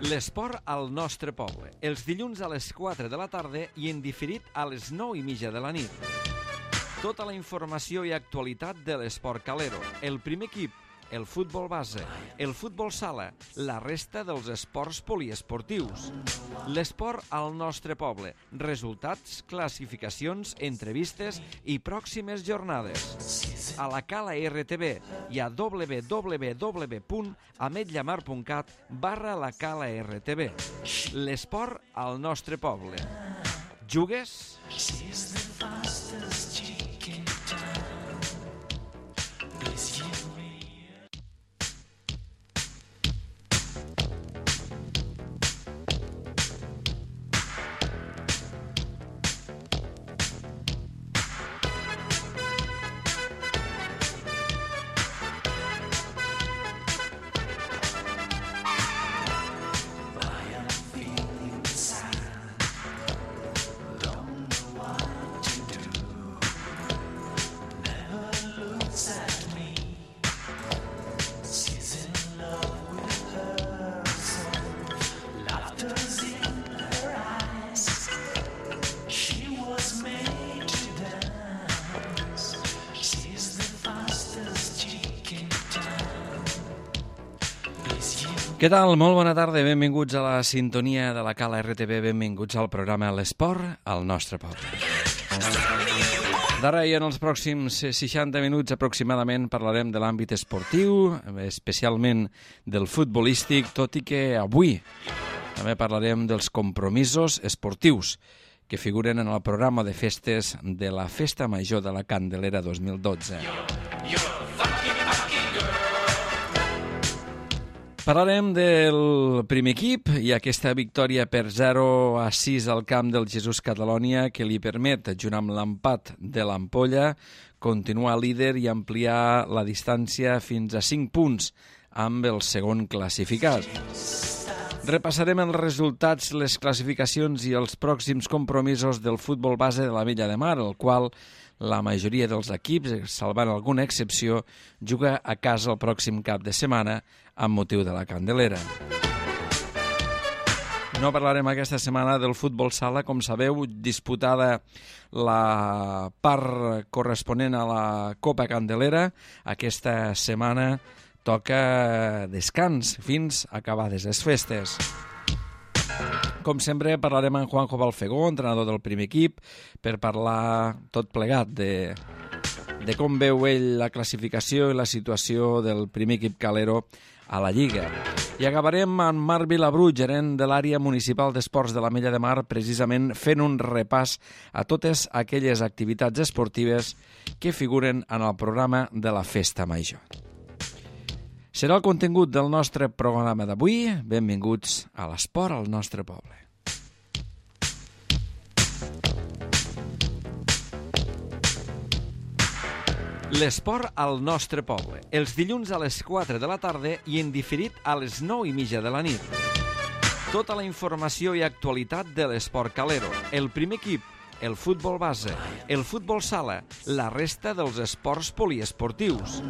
L'esport al nostre poble, els dilluns a les 4 de la tarda i en diferit a les 9:30 de la nit. Tota la informació i actualitat de l'esport calero, el primer equip, el futbol base, el futbol sala, la resta dels esports poliesportius. L'esport al nostre poble, resultats, classificacions, entrevistes i pròximes jornades. A la Cala RTV i a www.ametlllamar.cat/la Cala RTV. L'esport al nostre poble. Jugues? Què tal? Molt bona tarda, benvinguts a la sintonia de la Cala RTV, benvinguts al programa L'Esport al nostre poble. D'ara i en els pròxims 60 minuts aproximadament parlarem de l'àmbit esportiu, especialment del futbolístic, tot i que avui també parlarem dels compromisos esportius que figuren en el programa de festes de la Festa Major de la Candelera 2012. Parlarem del primer equip i aquesta victòria per 0-6 al camp del Jesús Catalonia que li permet, junt amb l'empat de l'Ampolla, continuar líder i ampliar la distància fins a 5 punts amb el segon classificat. Repassarem els resultats, les classificacions i els pròxims compromisos del futbol base de l'Ametlla de Mar, el qual la majoria dels equips, salvant alguna excepció, juga a casa el pròxim cap de setmana amb motiu de la Candelera. No parlarem aquesta setmana del futbol sala, com sabeu, disputada la part corresponent a la Copa Candelera. Aquesta setmana toca descans fins acabades les festes. Com sempre, parlarem amb Juanjo Balfegó, entrenador del primer equip, per parlar tot plegat de com veu ell la classificació i la situació del primer equip calero a la Lliga. I acabarem amb Marc Vilabru, gerent de l'àrea municipal d'esports de l'Ametlla de Mar, precisament fent un repàs a totes aquelles activitats esportives que figuren en el programa de la Festa Major. Serà el contingut del nostre programa d'avui. Benvinguts a l'esport al nostre poble. L'esport al nostre poble, els dilluns a les 4 de la tarda i en diferit a les 9:30 de la nit. Tota la informació i actualitat de l'esport calero, el primer equip, el futbol base, el futbol sala, la resta dels esports poliesportius.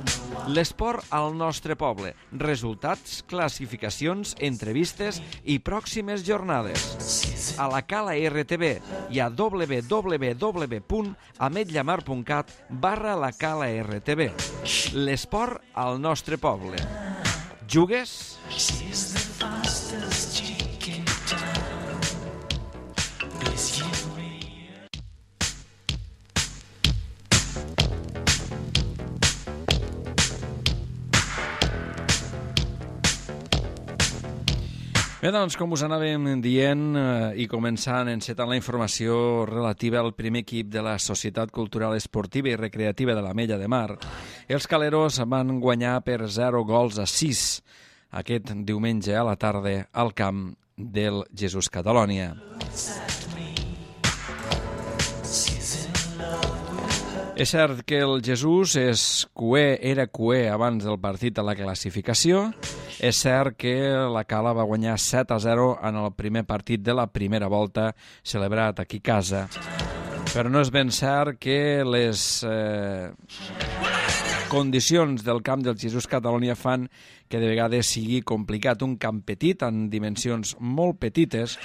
L'esport al nostre poble, resultats, classificacions, entrevistes i pròximes jornades. A la Cala RTV i a www.ametlllamar.cat/la Cala RTV. L'esport al nostre poble. Jugues? Bé, doncs, com us anàvem dient i començant encetant la informació relativa al primer equip de la Societat Cultural Esportiva i Recreativa de l'Ametlla de Mar, els caleros van guanyar per 0-6 aquest diumenge a la tarda al camp del Jesús Catalonia. És cert que el Jesús era cuer abans del partit a la classificació. És cert que la Cala va guanyar 7-0 en el primer partit de la primera volta celebrat aquí a casa. Però no és ben cert que les condicions del camp del Jesús Catalonia fan que de vegades sigui complicat. Un camp petit, en dimensions molt petites,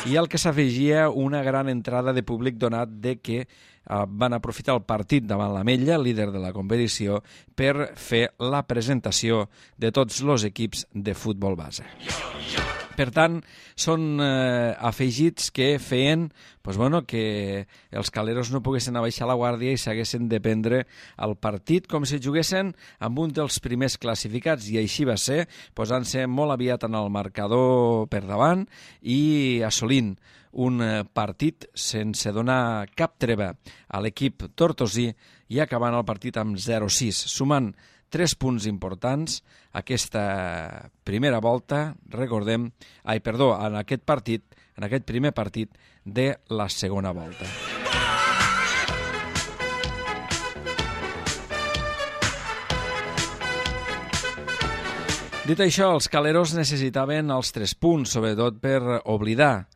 i al que s'afegia una gran entrada de públic donat de que van aprofitar el partit davant l'Ametlla, líder de la competició, per fer la presentació de tots els equips de futbol base. Per tant, són afegits que feien que els caleros no poguessin abaixar la guàrdia i s'haguessin de prendre el partit com si juguessin amb un dels primers classificats, i així va ser, posant-se molt aviat en el marcador per davant i assolint un partit sense donar cap treva a l'equip tortosí i acabant el partit amb 0-6, sumant 3 punts importants aquesta primera volta, en aquest partit, en aquest primer partit de la segona volta. Dit això, els caleros necessitaven els 3 punts, sobretot per oblidar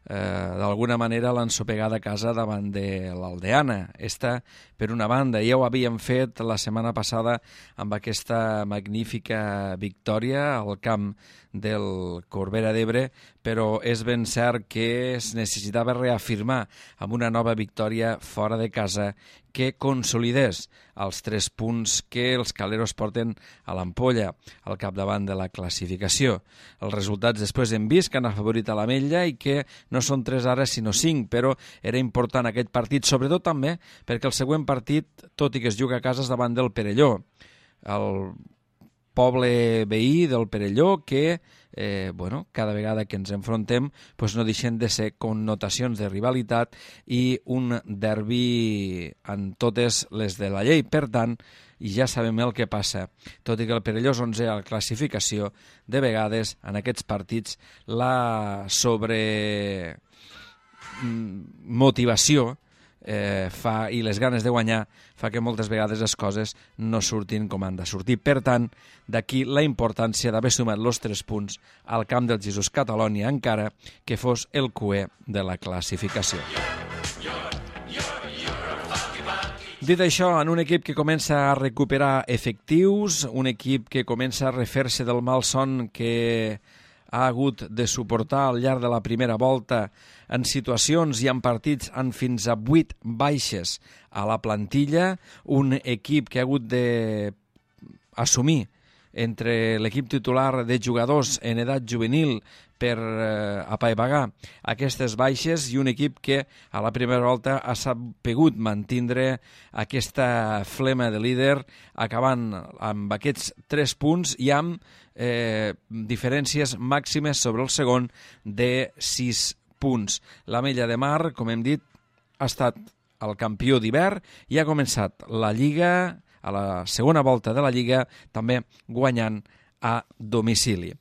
d'alguna manera l'ensopegada a casa davant de l'Aldeana. Esta, per una banda, ja ho havíem fet la setmana passada amb aquesta magnífica victòria al camp del Corbera d'Ebre, però és ben cert que es necessitava reafirmar amb una nova victòria fora de casa que consolidés els 3 punts que els caleros porten a l'ampolla al capdavant de la classificació. Els resultats després hem vist que han afavorit a l'Ametlla i que no són 3 ara sinó 5, però era important aquest partit, sobretot també perquè el següent partit, tot i que es juga a casa, és davant del Perelló, el poble veí del Perelló que cada vegada que ens enfrontem no deixen de ser connotacions de rivalitat i un derbi en totes les de la llei. Per tant, ja sabem el que passa. Tot i que el Perelló és 11è a la classificació, de vegades en aquests partits la sobremotivació i les ganes de guanyar fa que moltes vegades les coses no surtin com han de sortir. Per tant, d'aquí la importància d'haver sumat els 3 punts al camp del Jesús Catalonia, encara que fos el cuer de la classificació. Dit això, en un equip que comença a recuperar efectius, un equip que comença a refer-se del mal son que ha hagut de suportar al llarg de la primera volta en situacions i en partits amb fins a 8 baixes a la plantilla, un equip que ha hagut d'assumir entre l'equip titular de jugadors en edat juvenil per apaivagar aquestes baixes i un equip que a la primera volta ha sabut mantindre aquesta flema de líder acabant amb aquests 3 punts i amb diferències màximes sobre el segon de 6 punts. L'Ametlla de Mar, com hem dit, ha estat el campió d'hivern i ha començat la Lliga, a la segona volta de la Lliga, també guanyant a domicili.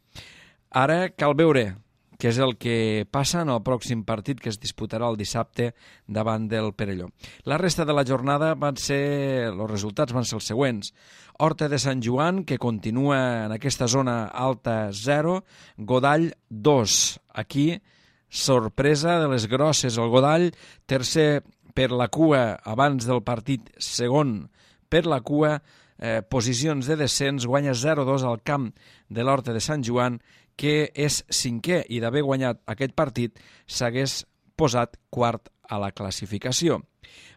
Ara cal veure què és el que passa en el pròxim partit que es disputarà el dissabte davant del Perelló. La resta de la jornada els resultats van ser els següents. Horta de Sant Joan, que continua en aquesta zona alta 0, Godall 2. Aquí, sorpresa de les grosses. El Godall, tercer per la cua abans del partit, segon per la cua, posicions de descens, guanya 0-2 al camp de l'Horta de Sant Joan, que és 5è i d'haver guanyat aquest partit s'hagués posat quart a la classificació.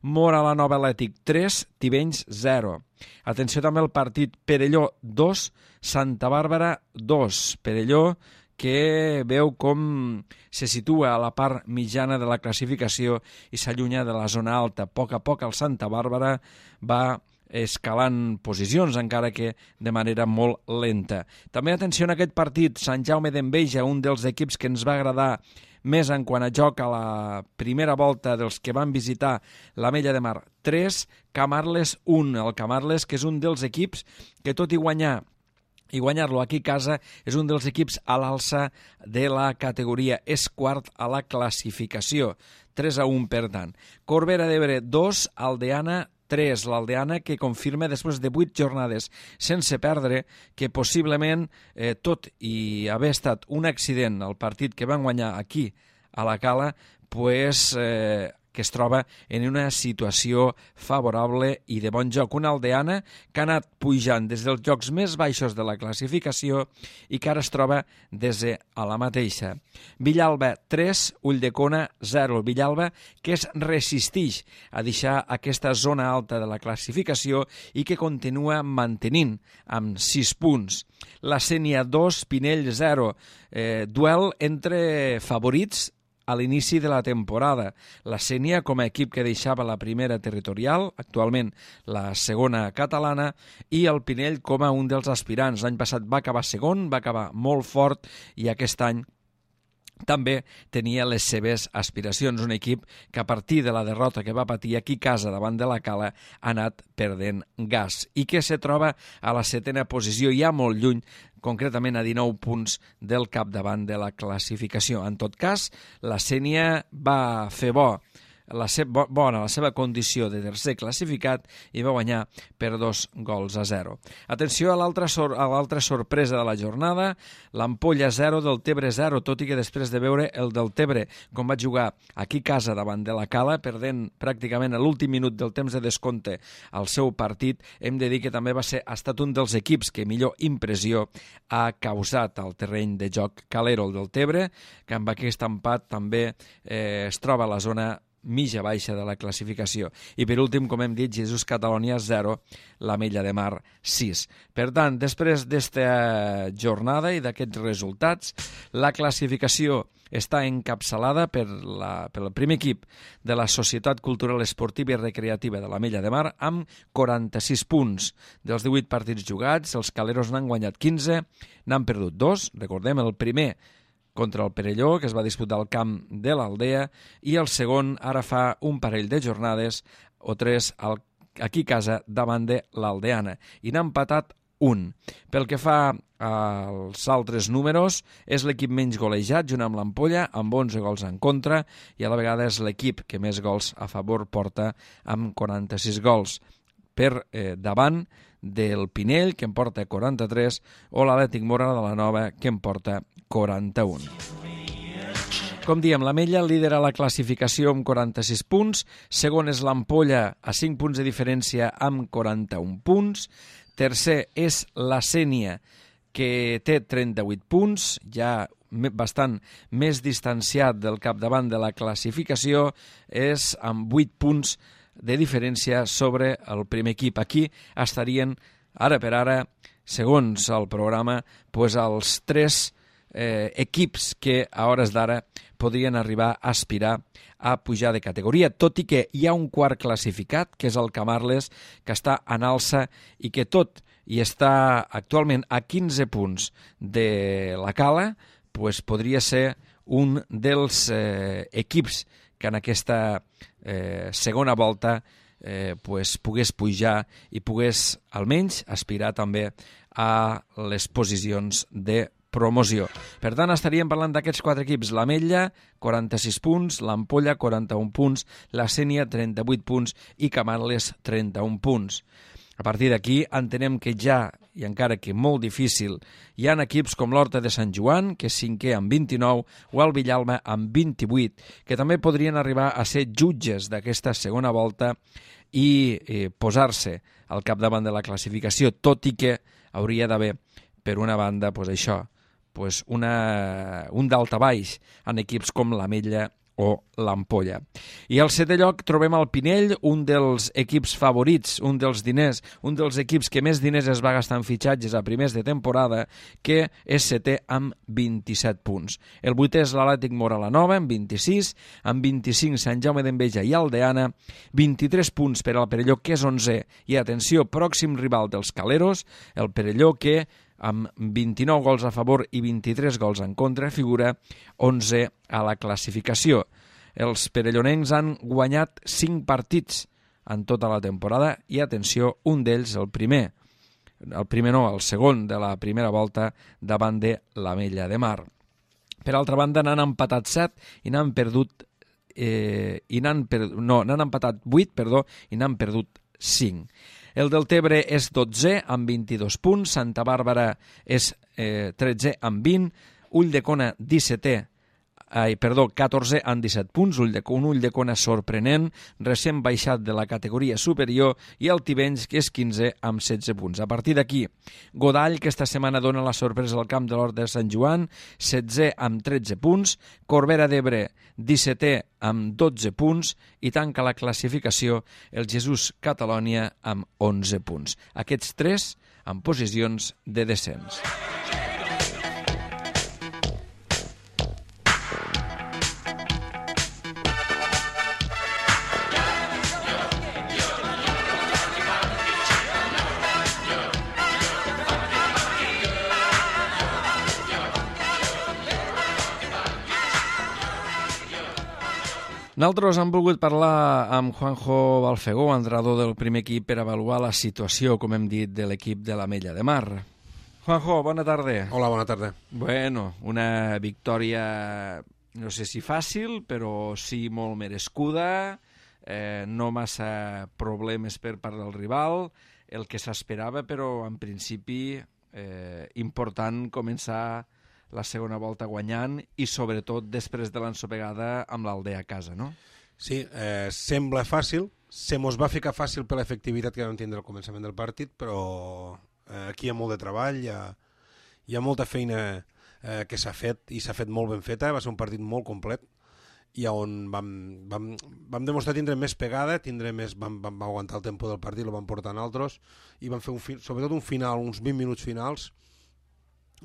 Mora la Nova Atlètic 3, Tivenys 0. Atenció també al partit Perelló 2, Santa Bàrbara 2. Perelló que veu com se situa a la part mitjana de la classificació i s'allunya de la zona alta. A poc el Santa Bàrbara va escalant posicions, encara que de manera molt lenta. També atenció en aquest partit, Sant Jaume d'Enveja, un dels equips que ens va agradar més en quant a joc a la primera volta dels que van visitar l'Ametlla de Mar 3, Camarles 1. El Camarles, que és un dels equips que tot i guanyar-lo aquí a casa, és un dels equips a l'alça de la categoria. És quart a la classificació, 3-1 per tant. Corbera d'Ebre 2, Aldeana 3, l'Aldeana que confirma després de 8 jornades sense perdre que possiblement, tot i haver estat un accident el partit que van guanyar aquí a la Cala, que es troba en una situació favorable i de bon joc. Una aldeana que ha anat pujant des dels llocs més baixos de la classificació i que ara es troba des de la mateixa. Villalba 3, Ulldecona 0. Villalba que es resisteix a deixar aquesta zona alta de la classificació i que continua mantenint amb 6 punts. La Sénia 2, Pinell 0. Duel entre favorits a l'inici de la temporada. La Sénia, com a equip que deixava la primera territorial, actualment la segona catalana, i el Pinell com a un dels aspirants. L'any passat va acabar segon, va acabar molt fort, i aquest any també tenia les seves aspiracions. Un equip que a partir de la derrota que va patir aquí a casa davant de la Cala ha anat perdent gas i que se troba a la 7a posició, ja molt lluny, concretament a 19 punts del capdavant de la classificació. En tot cas, la Sénia va fer la seva condició de tercer classificat i va guanyar per 2-0. Atenció a l'altra sorpresa de la jornada, l'Ampolla 0, del Tebre 0, tot i que després de veure el del Tebre com va jugar aquí a casa davant de la Cala, perdent pràcticament a l'últim minut del temps de descompte el seu partit, hem de dir que també ha estat un dels equips que millor impressió ha causat al terreny de joc calero, el del Tebre, que amb aquest empat també es troba a la zona mitja baixa de la classificació. I per últim, com hem dit, Jesús Catalònia 0, l'Ametlla de Mar 6. Per tant, després d'esta jornada i d'aquests resultats, la classificació està encapçalada pel primer equip de la Societat Cultural Esportiva i Recreativa de l'Ametlla de Mar amb 46 punts. Dels 18 partits jugats, els caleros n'han guanyat 15, n'han perdut 2, recordem, el primer contra el Perelló, que es va disputar al camp de l'Aldea, i el segon ara fa un parell de jornades o 3 aquí a casa davant de l'Aldeana, i n'ha empatat 1. Pel que fa als altres números, és l'equip menys golejat, junt amb l'Ampolla, amb 11 gols en contra, i a la vegada és l'equip que més gols a favor porta, amb 46 gols. Per davant del Pinell, que en porta 43, o l'Atlètic Móra de la Nova, que en porta 41. Com diem, l'Ametlla lidera la classificació amb 46 punts, segon és l'Ampolla a 5 punts de diferència amb 41 punts, tercer és la Sénia, que té 38 punts, ja bastant més distanciat del capdavant de la classificació, és amb 8 punts de diferència sobre el primer equip. Aquí estarien, ara per ara, segons el programa, els 3 equips que a hores d'ara podrien arribar a aspirar a pujar de categoria, tot i que hi ha un quart classificat, que és el Camarles, que està en alça i que tot i està actualment a 15 punts de la Cala, podria ser un dels equips que en aquesta segona volta pogués pujar i pogués almenys aspirar també a les posicions de promoció. Per tant, estaríem parlant d'aquests 4 equips: l'Ametlla, 46 punts, l'Ampolla, 41 punts, la Sénia, 38 punts i Camarles, 31 punts. A partir d'aquí entenem que ja, i encara que molt difícil, hi ha equips com l'Horta de Sant Joan, que és 5è amb 29, o el Villalba amb 28, que també podrien arribar a ser jutges d'aquesta segona volta i posar-se al capdavant de la classificació, tot i que hauria d'haver, per una banda, un daltabaix en equips com l'Ametlla o l'Ampolla. I al 7è lloc trobem el Pinell, un dels equips favorits, un dels equips que més diners es va gastar en fitxatges a primers de temporada, que és 7è amb 27 punts. El 8è és l'Atlètic Móra la Nova, amb 26, amb 25 Sant Jaume d'Enveja i Aldeana, 23 punts per al Perelló, que és 11è, i atenció, pròxim rival dels caleros, el Perelló, que amb 29 gols a favor i 23 gols en contra, figura 11 a la classificació. Els perellonencs han guanyat 5 partits en tota la temporada i, atenció, un d'ells, el segon de la primera volta davant de l'Ametlla de Mar. Per altra banda, n'han empatat 7 i n'han empatat 8, i n'han perdut 5. El del Tebre és 12è amb 22 punts, Santa Bàrbara és 13è amb 20, Ulldecona 17è 14 amb 17 punts, un Ulldecona sorprenent, recent baixat de la categoria superior, i el Tivenys, que és 15 amb 16 punts. A partir d'aquí, Godall, que esta setmana dona la sorpresa al camp de l'Hort de Sant Joan, 16 amb 13 punts, Corbera d'Ebre, 17è amb 12 punts, i tanca la classificació el Jesús Catalònia amb 11 punts. Aquests tres en posicions de descens. Nosaltres hem volgut parlar amb Juanjo Balfegó, entrenador del primer equip, per avaluar la situació, com hem dit, de l'equip de l'Ametlla de Mar. Juanjo, bona tarda. Hola, bona tarda. Bueno, una victòria, no sé si fàcil, però sí molt merescuda, no massa problemes per part del rival, el que s'esperava, però en principi important començar la segona volta guanyant i sobretot després de l'ensopegada amb l'Aldea a casa, no? Sí, sembla fàcil, se mos va ficar fàcil per l'efectivitat que vam tindre al començament del partit, però aquí hi ha molt de treball, hi ha molta feina que s'ha fet i s'ha fet molt ben feta, va ser un partit molt complet i on vam demostrar tindre més pegada, vam aguantar el tempo del partit, el vam portar en altres i vam fer sobretot un final, uns 20 minuts finals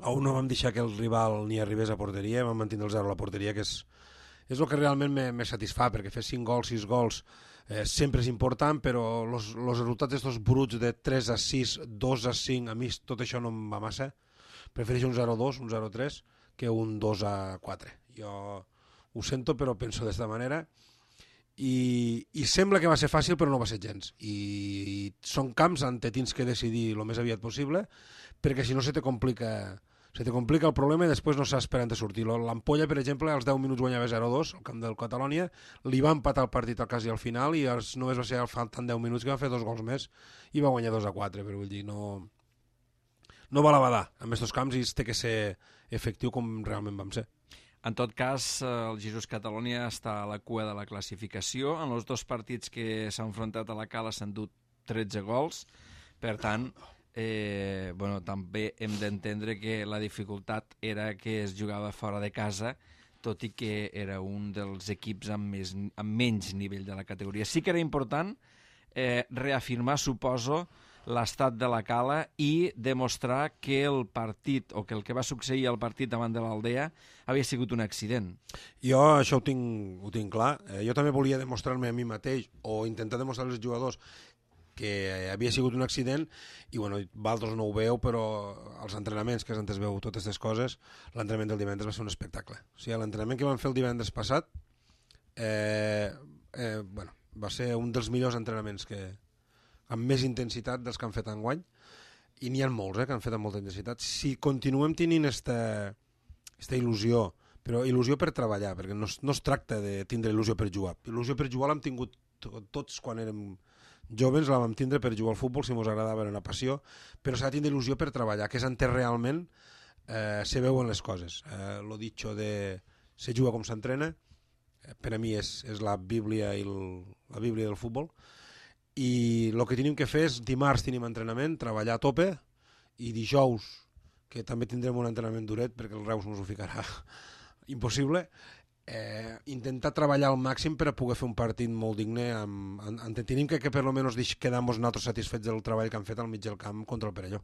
on no vam deixar que el rival ni arribés a porteria, vam mantenir el 0 a la porteria, que és el que realment me satisfà, perquè fer 5 gols, 6 gols sempre és important, però els resultats d'estos bruts de 3 a 6, 2 a 5, a mi tot això no em va massa. Prefereixo un 0-2, un 0-3, que un 2 a 4. Jo ho sento, però penso d'esta manera. I sembla que va ser fàcil, però no va ser gens. I són camps on tens que decidir el més aviat possible, perquè si no se te complica el problema i després no saps per on sortir. L'Ampolla, per exemple, als 10 minuts guanyava 0-2 al camp del Catalònia, li va empatar el partit al quasi al final i només va ser faltant 10 minuts que va fer 2 gols més i va guanyar 2-4, però vull dir, no val a badar en aquests camps i té que ser efectiu com realment vam ser. En tot cas, el Jesús Catalònia està a la cua de la classificació. En els 2 partits que s'han enfrontat a la Cala s'han dut 13 gols, per tant, també hem d'entendre que la dificultat era que es jugava fora de casa, tot i que era un dels equips amb menys nivell de la categoria. Sí que era important reafirmar, suposo, l'estat de la Cala i demostrar que el partit, o que el que va succeir al partit davant de l'Aldea havia sigut un accident. Jo això ho tinc clar. Jo també volia demostrar-me a mi mateix o intentar demostrar als jugadors que havia sigut un accident i vosaltres no ho veu, però als entrenaments, que antes veu totes aquestes coses, l'entrenament del divendres va ser un espectacle. O sigui, l'entrenament que vam fer el divendres passat va ser un dels millors entrenaments amb més intensitat dels que han fet enguany, i n'hi ha molts que han fet amb molta intensitat. Si continuem tenint esta il·lusió, però il·lusió per treballar, perquè no es tracta de tindre il·lusió per jugar. Il·lusió per jugar l'hem tingut tots quan érem joves, la vam tindre per jugar al futbol, si ens agradava, era una passió, però s'ha de tindre il·lusió per treballar, que és on realment se veuen les coses. Lo dicho de se juga com s'entrena, per a mi és la Bíblia del futbol, i el que tenim que fer és dimarts tenim entrenament, treballar a tope, i dijous, que també tindrem un entrenament duret perquè el Reus ens ho ficarà impossible, intentar treballar al màxim per a poder fer un partit molt digne. Tenim que per almenys quedar-nos nosaltres satisfets del treball que han fet al mig del camp contra el Perelló.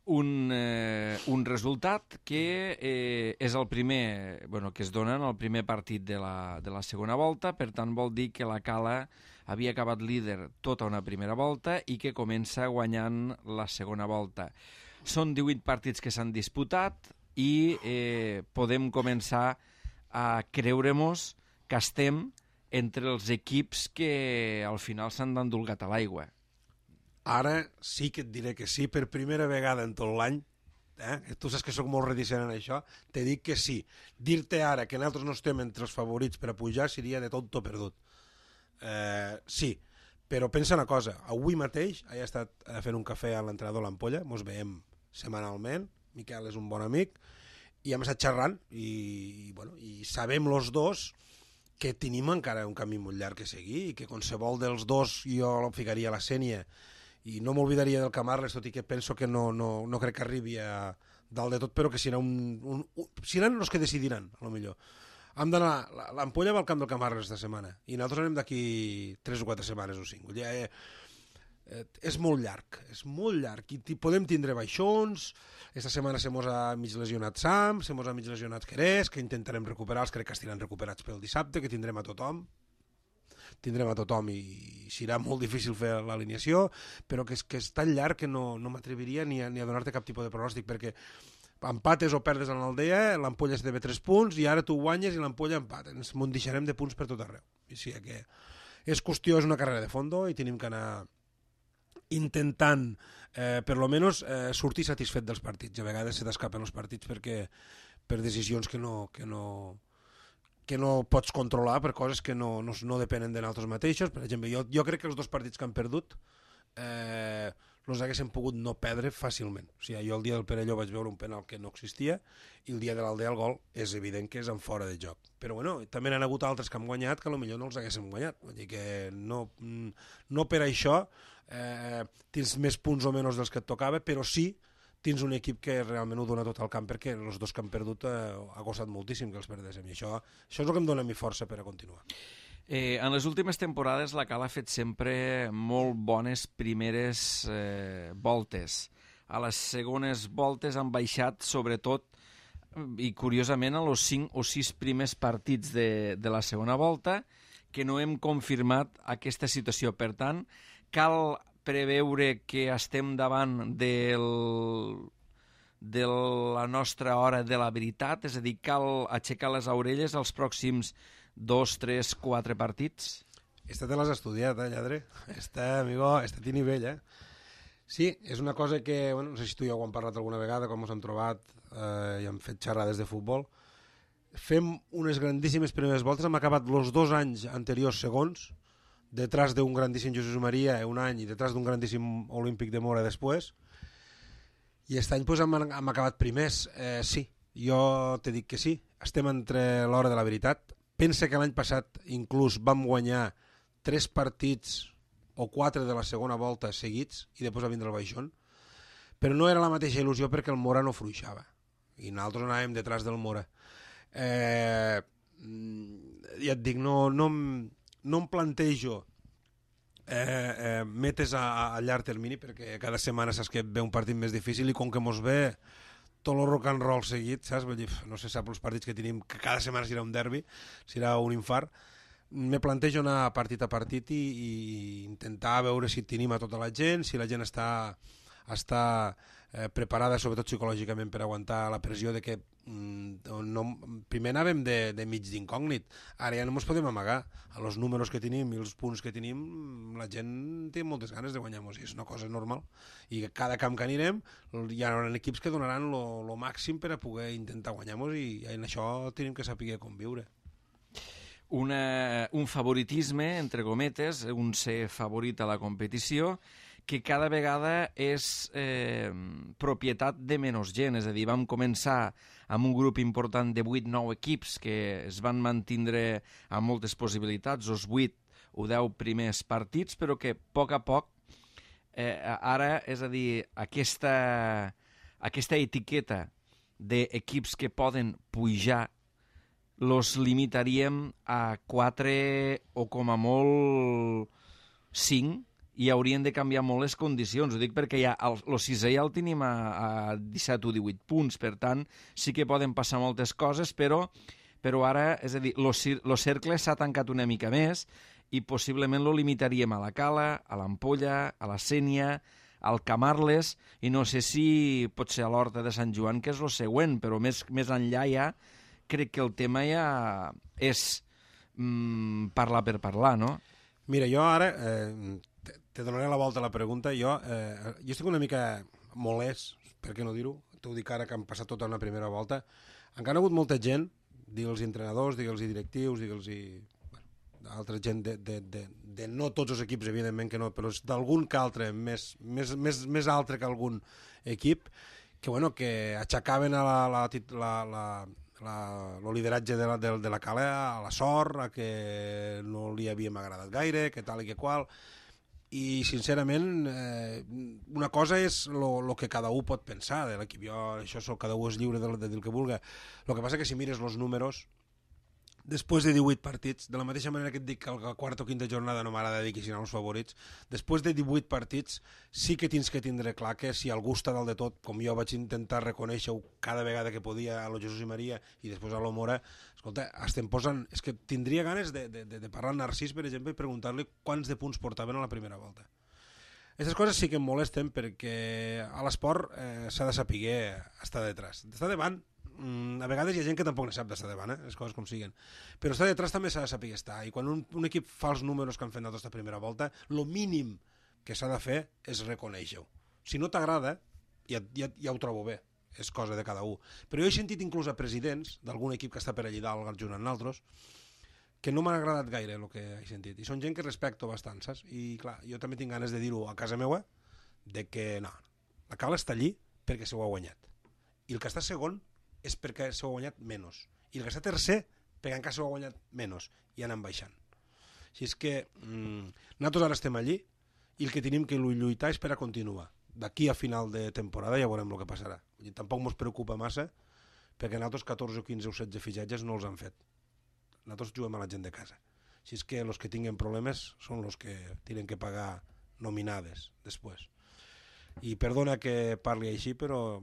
Un resultat que és el primer, que es dona en el primer partit de la segona volta, per tant vol dir que la Cala havia acabat líder tota una primera volta i que comença guanyant la segona volta. Són 18 partits que s'han disputat i podem començar a creure-mos que estem entre els equips que al final s'han d'endolgat a l'aigua. Ara sí que et diré que sí, per primera vegada en tot l'any, tu saps que sóc molt reticent en això, te dic que sí. Dir-te ara que nosaltres no estem entre els favorits per a pujar seria de tot perdut. Sí, però pensa una cosa, avui mateix he estat fent un cafè a l'entrenador l'Ampolla, ens veiem setmanalment, Miquel és un bon amic, i hem estat xerrant i sabem els dos que tenim encara un camí molt llarg que seguir i que qualsevol dels dos jo el ficaria a la sènia i no m'oblidaria del Camarles, tot i que penso que no crec que arribi a dalt de tot, però que seran els que decidiran, a lo millor. Hem d'anar, l'Ampolla va al camp del Camarles esta setmana i nosaltres anem d'aquí 3 o 4 setmanes o 5. És molt llarg i podem tindre baixons. Esta setmana se mos ha mig lesionat Sam, se mos ha mig lesionat Querés, que intentarem recuperar, crec que estiran recuperats pel dissabte, que tindrem a tothom i serà molt difícil fer l'alineació, però que és tan llarg que no m'atreviria ni a donar-te cap tipus de pronòstic, perquè empates o perdes en l'Aldea, l'Ampolla es deve 3 punts i ara tu guanyes i l'Ampolla empata, ens deixarem de punts per tot arreu. O sigui que és una carrera de fondo i tenim que anar intentant, per lo menos, sortir satisfet dels partits. A vegades se t'escapen els partits per decisions que no pots controlar, per coses que no depenen de nosaltres mateixos. Per exemple, jo crec que els 2 partits que han perdut els haguéssim pogut no perdre fàcilment. O sigui, jo el dia del Perelló vaig veure un penal que no existia i el dia de l'Aldea el gol és evident que és en fora de joc. Però bueno, també n'han hagut altres que han guanyat que potser no els haguéssim guanyat. Vull dir que no per això tens més punts o menys dels que et tocava, però sí tens un equip que realment ho dona tot al camp, perquè els 2 que han perdut ha costat moltíssim que els perdéssim, i això és el que em dona mi força per a continuar. En les últimes temporades la Cala ha fet sempre molt bones primeres voltes. A les segones voltes han baixat sobretot i curiosament a los 5 o 6 primers partits de la segona volta, que no hem confirmat aquesta situació. Per tant, cal preveure que estem davant de la nostra hora de la veritat, és a dir, cal aixecar les orelles als pròxims 2, 3, 4 partits? Esta te l'has estudiat, lladre? Amigo, esta té nivell, Sí, és una cosa que, no sé si tu i jo ho hem parlat alguna vegada, com ens hem trobat i hem fet xerrades de futbol. Fem unes grandíssimes primeres voltes, hem acabat els 2 anys anteriors segons, detrás d'un grandíssim Jesús Maria un any i detrás d'un grandíssim Olímpic de Mora després, i aquest any pues, hem acabat primers. Sí, jo te dic que sí, estem entre l'hora de la veritat. Pensa que l'any passat inclús vam guanyar 3 partits o 4 de la segona volta seguits i després va vindre el baixón, però no era la mateixa il·lusió perquè el Mora no fluixava i nosaltres anàvem detrás del Mora. Ja et dic, no em plantejo metes a llarg termini, perquè cada setmana saps que ve un partit més difícil i com que mos ve tot el rock and roll seguit, saps? Vull dir, no se sap els partits que tenim, que cada setmana serà un derbi, serà un infart. Me plantejo anar partit a partit i intentar veure si tenim a tota la gent, si la gent està preparada, sobretot psicològicament, per aguantar la pressió de que primer anàvem de mig d'incògnit, ara ja no ens podem amagar. A los números que tenim i els punts que tenim, la gent té moltes ganes de guanyar-nos i és una cosa normal, i cada camp que anirem hi ha equips que donaran lo màxim per a poder intentar guanyar-nos, i en això tenim que saber conviure. Un favoritisme, entre cometes, un ser favorit a la competició, que cada vegada és propietat de menys gent. És a dir, vam començar amb un grup important de 8-9 equips que es van mantindre amb moltes possibilitats, els 8 o 10 primers partits, però que a poc ara, és a dir, aquesta etiqueta d'equips que poden pujar los limitaríem a 4 o com a molt 5, i haurien de canviar molt les condicions. Ho dic perquè ja el sisè ja el tenim a 17 o 18 punts, per tant sí que poden passar moltes coses, però ara, és a dir, el cercle s'ha tancat una mica més i possiblement lo limitaríem a la Cala, a l'Ampolla, a la Sénia, al Camarles, i no sé si pot ser a l'Horta de Sant Joan, que és el següent, però més enllà ja crec que el tema ja és parlar per parlar, no? Mira, jo ara te donaré la volta a la pregunta. Jo estic una mica molest, per què no dir-ho? T'ho dic ara que han passat tota una primera volta. Encara ha hagut molta gent, digue'ls entrenadors, digue'ls directius, digue'ls altra gent de no tots els equips, evidentment que no, però d'algun que altre, més altre que algun equip, que aixecaven el lideratge de la Cala a la sort, a que no li havíem agradat gaire, que tal i que qual, i sincerament una cosa és el que cada un pot pensar de l'equip, cada un és lliure de dir el que vulgui. El que passa que si mires els números després de 18 partits, de la mateixa manera que et dic que la quarta o quinta jornada no m'agrada dir que siguin els favorits, després de 18 partits sí que tens que tindre clar que si algú està dalt de tot, com jo vaig intentar reconèixer-ho cada vegada que podia a lo Jesús i Maria i després a lo Mora, escolta, estem posant... És que tindria ganes de parlar amb Narcís, per exemple, i preguntar-li quants de punts portaven a la primera volta. Aquestes coses sí que em molesten perquè a l'esport s'ha de saber estar detrás. Estar davant, a vegades hi ha gent que tampoc ne sap d'estar davant, les coses com siguen. Però estar detrás també s'ha de saber estar. I quan un equip fa els números que han fet aquesta primera volta, el mínim que s'ha de fer és reconèixer-ho. Si no t'agrada, ja ho trobo bé. És cosa de cada un. Però jo he sentit inclús a presidents d'algun equip que està per allà dalt junt amb nosaltres que no m'ha agradat gaire el que he sentit. I són gent que respecto bastant, saps? I clar, jo també tinc ganes de dir-ho a casa meva, de que no, la Cala està allí perquè s'ho ha guanyat. I el que està segon és perquè s'ho ha guanyat menys. I el que està tercer perquè encara s'ho ha guanyat menys. I anem baixant. Així és que nosaltres ara estem allí i el que tenim que lluitar és per a continuar. D'aquí a final de temporada ja veurem el que passarà. Tampoc ens preocupa massa perquè nosaltres 14 o 15 o 16 fitxatges no els han fet. Nosaltres juguem a la gent de casa. Així és que els que tinguen problemes són els que tenen que pagar nominades després. I perdona que parli així, però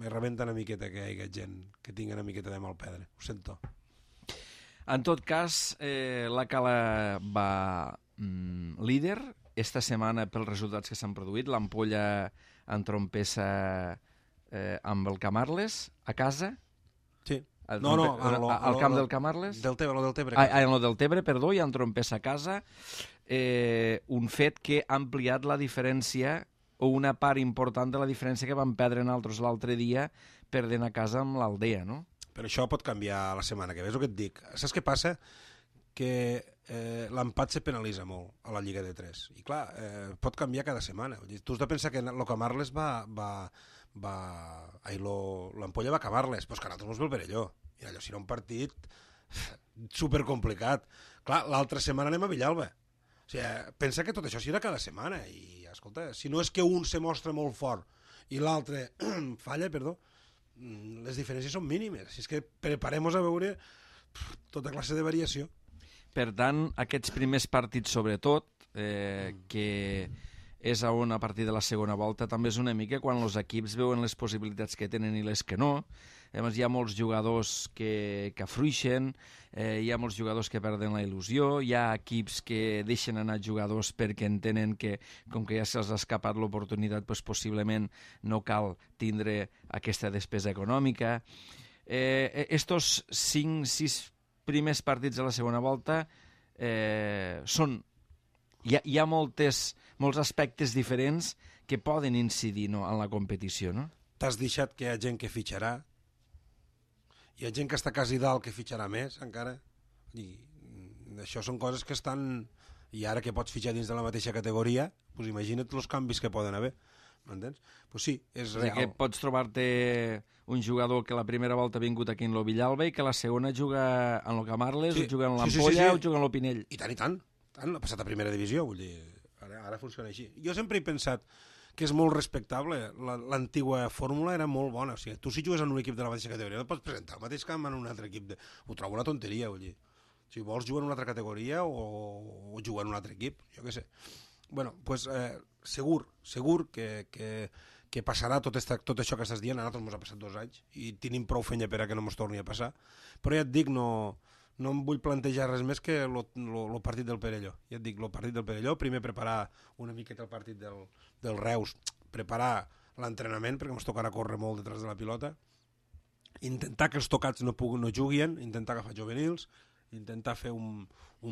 me rebenta una miqueta que hi hagi gent que tingui una miqueta de mal pedre. Ho sento. En tot cas, la Cala va líder esta setmana pels resultats que s'han produït. L'Ampolla entrompessa amb el Camarles a casa. Sí. Al camp del Camarles. Del Tebre. En el del Tebre, perdó, i entrompessa a casa. Un fet que ha ampliat la diferència o una part important de la diferència que van perdre nosaltres l'altre dia perdent a casa amb l'Aldea, no? Però això pot canviar la setmana que ve, és el que et dic. Saps què passa? Que l'empat se penalitza molt a la Lliga de 3. I clar, pot canviar cada setmana. Tu has de pensar que el Camarles l'Ampolla va a Camarles, però és que a nosaltres mos ve el Perelló. I allò serà un partit supercomplicat. Clar, l'altra setmana anem a Villalba. O sigui, pensa que tot això serà cada setmana i, escolta, si no és que un se mostra molt fort i l'altre falla, les diferències són mínimes. Així és que preparem-nos a veure tota classe de variació. Per tant, aquests primers partits, sobretot, que és on a partir de la segona volta també és una mica quan els equips veuen les possibilitats que tenen i les que no. A més, hi ha molts jugadors que afluixen, hi ha molts jugadors que perden la il·lusió, hi ha equips que deixen anar jugadors perquè entenen que, com que ja se'ls ha escapat l'oportunitat, doncs possiblement no cal tindre aquesta despesa econòmica. Estos 5-6 primers partits de la segona volta són... Hi ha molts aspectes diferents que poden incidir, no, en la competició, no? T'has deixat que hi ha gent que fitxarà, hi ha gent que està quasi dalt que fitxarà més encara, i això són coses que estan... I ara que pots fitxar dins de la mateixa categoria, doncs imagina't els canvis que poden haver, m'entens? Doncs sí, és real. Que pots trobar-te un jugador que la primera volta ha vingut aquí en lo Villalba i que la segona juga en lo Camarles, sí, o juga en l'Ampolla, o juga en lo Pinell. I tant. Ha passat a primera divisió, vull dir, ara funciona així. Jo sempre he pensat que és molt respectable, l'antigua fórmula era molt bona, o sigui, tu si jugues en un equip de la mateixa categoria no pots presentar el mateix camp en un altre equip, ho trobo una tonteria, vull dir, si vols jugar en una altra categoria o jugar en un altre equip, jo què sé. Bueno, doncs segur que passarà tot això que estàs dient, a nosaltres ens ha passat 2 anys i tenim prou fenya per a que no ens torni a passar, però ja et dic, no em vull plantejar res més que el partit del Perelló. Ja et dic, el partit del Perelló, primer preparar una miqueta el partit del Reus, preparar l'entrenament, perquè ens tocarà córrer molt detrás de la pilota, intentar que els tocats no juguin, intentar agafar juvenils, intentar fer un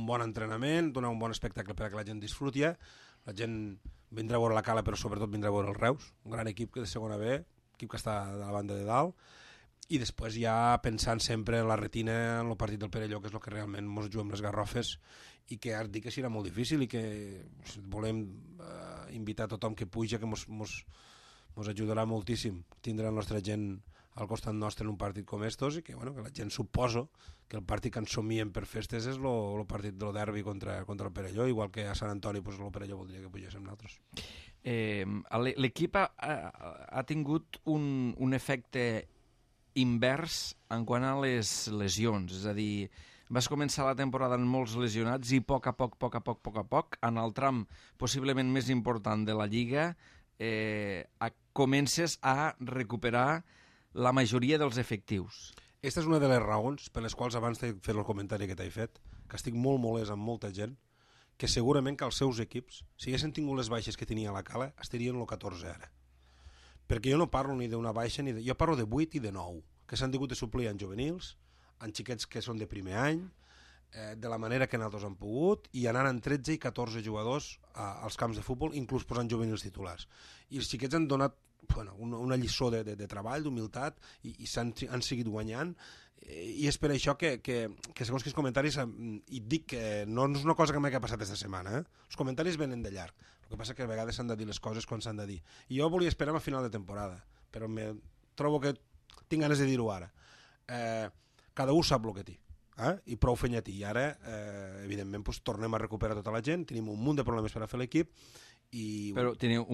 bon entrenament, donar un bon espectacle per a que la gent disfruti. La gent vindrà a veure la Cala, però sobretot vindrà a veure el Reus, un gran equip de segona B, equip que està de la banda de dalt, i després ja pensant sempre en la retina, en el partit del Perelló, que és el que realment ens juguem les garrofes, i que ara dic que serà molt difícil i que volem invitar a tothom que puja, que mos ens ajudarà moltíssim tindre la nostra gent al costat nostre en un partit com estos i que, bueno, que la gent suposo que el partit que ens somien per festes és el partit del derbi contra el Perelló, igual que a Sant Antoni pues, el Perelló voldria que pugéssim nosaltres. L'equip ha tingut un efecte invers en quant a les lesions, és a dir, vas començar la temporada amb molts lesionats i a poc a poc, en el tram possiblement més important de la Lliga, comences a recuperar la majoria dels efectius. Aquesta és una de les raons per les quals abans de fer el comentari que t'he fet, que estic molt molest amb molta gent, que segurament que els seus equips, si haguessin tingut les baixes que tenia la Cala, estarien el 14 ara. Perquè jo no parlo ni d'una baixa, jo parlo de 8 i de 9, que s'han tingut de suplir en juvenils, en xiquets que són de primer any, de la manera que nosaltres han pogut, i anant en 13 i 14 jugadors als camps de futbol, inclús posant juvenils titulars. I els xiquets han donat una lliçó de treball, d'humilitat, i han seguit guanyant, i és per això que segons quins comentaris, i dic que no és una cosa que m'ha passat aquesta setmana, els comentaris venen de llarg, el que passa que a vegades s'han de dir les coses quan s'han de dir, i jo volia esperar a final de temporada, però trobo que tinc ganes de dir-ho ara. Cada un sap el que té, i prou fenyatí, i ara evidentment tornem a recuperar tota la gent, tenim un munt de problemes per a fer l'equip. Però tens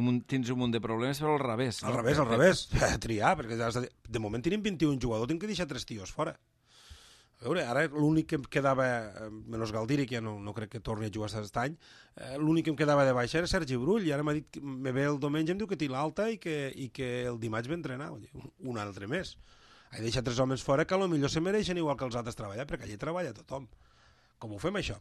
un munt de problemes, però al revés. Al revés, triar, perquè de moment tenim 21 jugadors, tinc que deixar 3 tios fora. A veure, ara l'únic que em quedava, menys Galdiri, que ja no crec que torni a jugar aquest any, l'únic que em quedava de baixa era Sergi Brull, i ara m'ha dit que me ve el diumenge, em diu que té l'alta i que el dimarts ve a entrenar, un altre més. He deixat 3 homes fora que potser se mereixen igual que els altres treballar, perquè allí treballa tothom. Com ho fem això?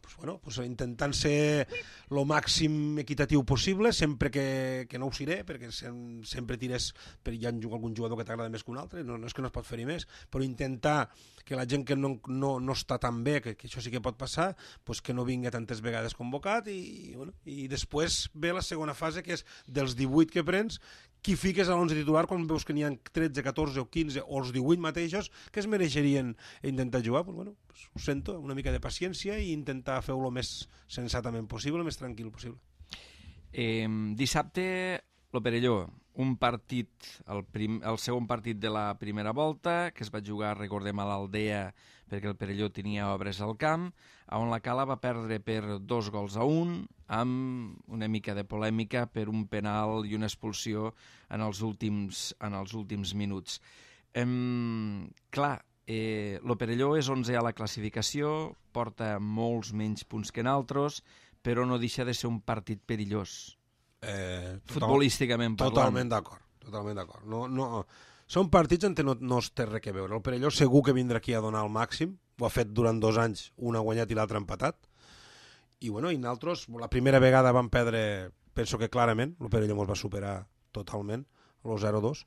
Intentant ser el màxim equitatiu possible, sempre que no ho seré, perquè sempre tires, hi ha algun jugador que t'agrada més que un altre, no és que no es pot fer-hi més, però intentar que la gent que no està tan bé, que això sí que pot passar, que no vinga tantes vegades convocat, i després ve la segona fase, que és dels 18 que prens, qui fiques a l'11 titular quan veus que n'hi ha 13, 14 o 15 o els 18 mateixos que es mereixerien intentar jugar. Ho sento, una mica de paciència i intentar fer-ho el més sensatament possible, el més tranquil possible. Dissabte, el Perelló, un partit, el segon partit de la primera volta, que es va jugar, recordem, a l'Aldea, perquè el Perelló tenia obres al camp, on la Cala va perdre per 2-1, amb una mica de polèmica per un penal i una expulsió en els últims minuts. Clar, el Perelló és 11è a la classificació, porta molts menys punts que nosaltres, però no deixa de ser un partit perillós. Futbolísticament parlant. Totalment d'acord. Són partits on no es té res a veure. El Perelló segur que vindrà aquí a donar el màxim, ho ha fet durant 2 anys, un ha guanyat i l'altre ha empatat, i nosaltres la primera vegada vam perdre, penso que clarament, el Perelló ens va superar totalment, el 0-2.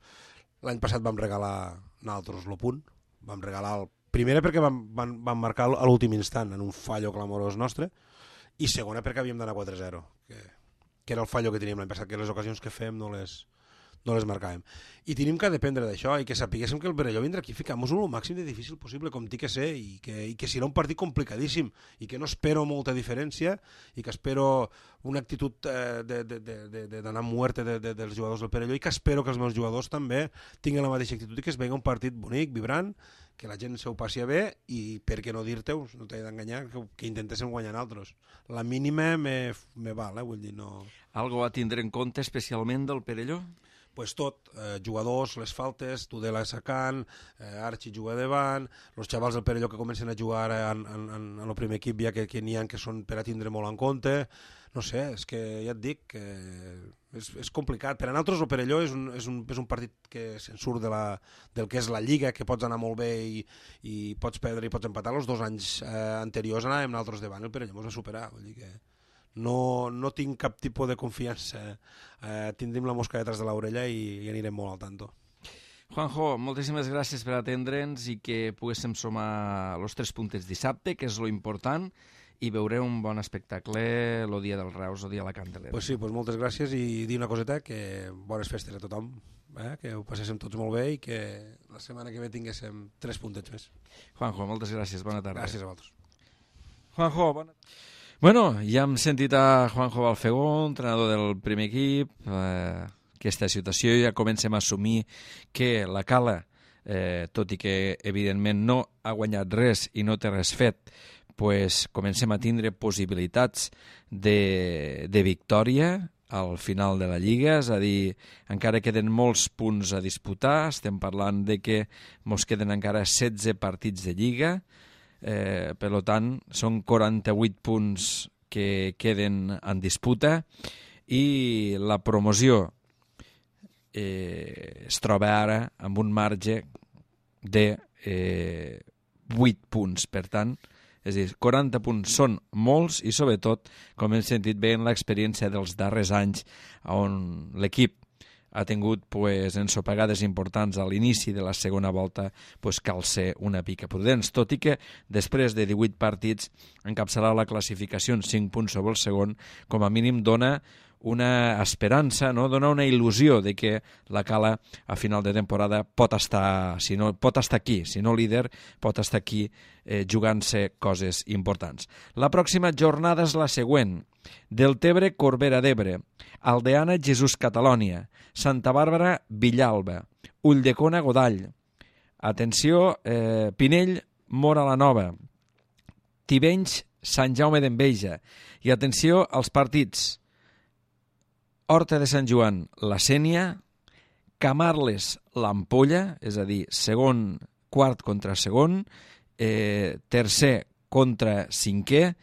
L'any passat vam regalar nosaltres el punt, vam regalar primera perquè vam marcar a l'últim instant en un fallo clamorós nostre, i segona perquè havíem d'anar 4-0, que era el fallo que teníem l'any passat, que les ocasions que fem no les marcàvem. I tenim que dependre d'això i que sapiguéssim que el Perelló vindrà aquí a ficar-nos el màxim de difícil possible, com té que ser, i que serà un partit complicadíssim, i que no espero molta diferència, i que espero una actitud d'anar muerte dels jugadors del Perelló, i que espero que els meus jugadors també tinguin la mateixa actitud i que es vegi un partit bonic, vibrant, que la gent se ho passi bé, i per què no dir-te, no t'he d'enganyar, que intentéssim guanyar altres. La mínima me val, vull dir, no... Algo a tindre en compte especialment del Perelló? Pues tot, jugadors, les faltes, Tudela sacant, Archi juga davant, els xavals del Perelló que comencen a jugar en el primer equip ja que n'hi ha que són per a tindre molt en compte, no sé, és que ja et dic que és complicat. Per a nosaltres el Perelló és un partit que se'n surt del que és la Lliga, que pots anar molt bé i pots perdre i pots empatar. Els 2 anys anteriors anàvem nosaltres davant, el Perelló ens va superar, vull dir que... No tinc cap tipus de confiança. Tindrem la mosca detrás de l'orella i anirem molt al tanto. Juanjo, moltíssimes gràcies per atendre'ns i que poguéssim sumar els 3 puntets dissabte, que és lo important, i veureu un bon espectacle el dia dels Reus, el dia de la Candelera. Pues sí, moltes gràcies i dir una coseta, que bones festes a tothom, que ho passéssim tots molt bé i que la setmana que ve tinguéssim 3 puntets més. Juanjo, moltes gràcies, bona tarda. Gràcies a vosaltres. Juanjo, bona tarda. Bueno, ja hem sentit a Juanjo Balfegó, entrenador del primer equip, aquesta situació, ja comencem a assumir que la Cala, tot i que evidentment no ha guanyat res i no té res fet, pues comencem a tindre possibilitats de victòria al final de la Lliga, és a dir, encara queden molts punts a disputar, estem parlant de que ens queden encara 16 partits de Lliga, per tant, són 48 punts que queden en disputa i la promoció es troba ara amb un marge de 8 punts, per tant, és a dir, 40 punts són molts i sobretot, com hem sentit bé en l'experiència dels darrers anys, on l'equip ha tingut ensopegades importants a l'inici de la segona volta, cal ser una pica prudents, tot i que després de 18 partits encapçalar la classificació en 5 punts sobre el segon, com a mínim dona una esperança, no? Dona una il·lusió de que la Cala a final de temporada pot estar aquí, si no líder, pot estar aquí jugant-se coses importants. La pròxima jornada és la següent: Deltebre, Corbera d'Ebre, Aldeana, Jesús Catalònia, Santa Bàrbara, Villalba, Ulldecona, Godall, atenció, Pinell, Móra la Nova, Tivenys, Sant Jaume d'Enveja, i atenció als partits: Horta de Sant Joan, la Sénia, Camarles, l'Ampolla, és a dir, quart contra segon, tercer contra cinquè,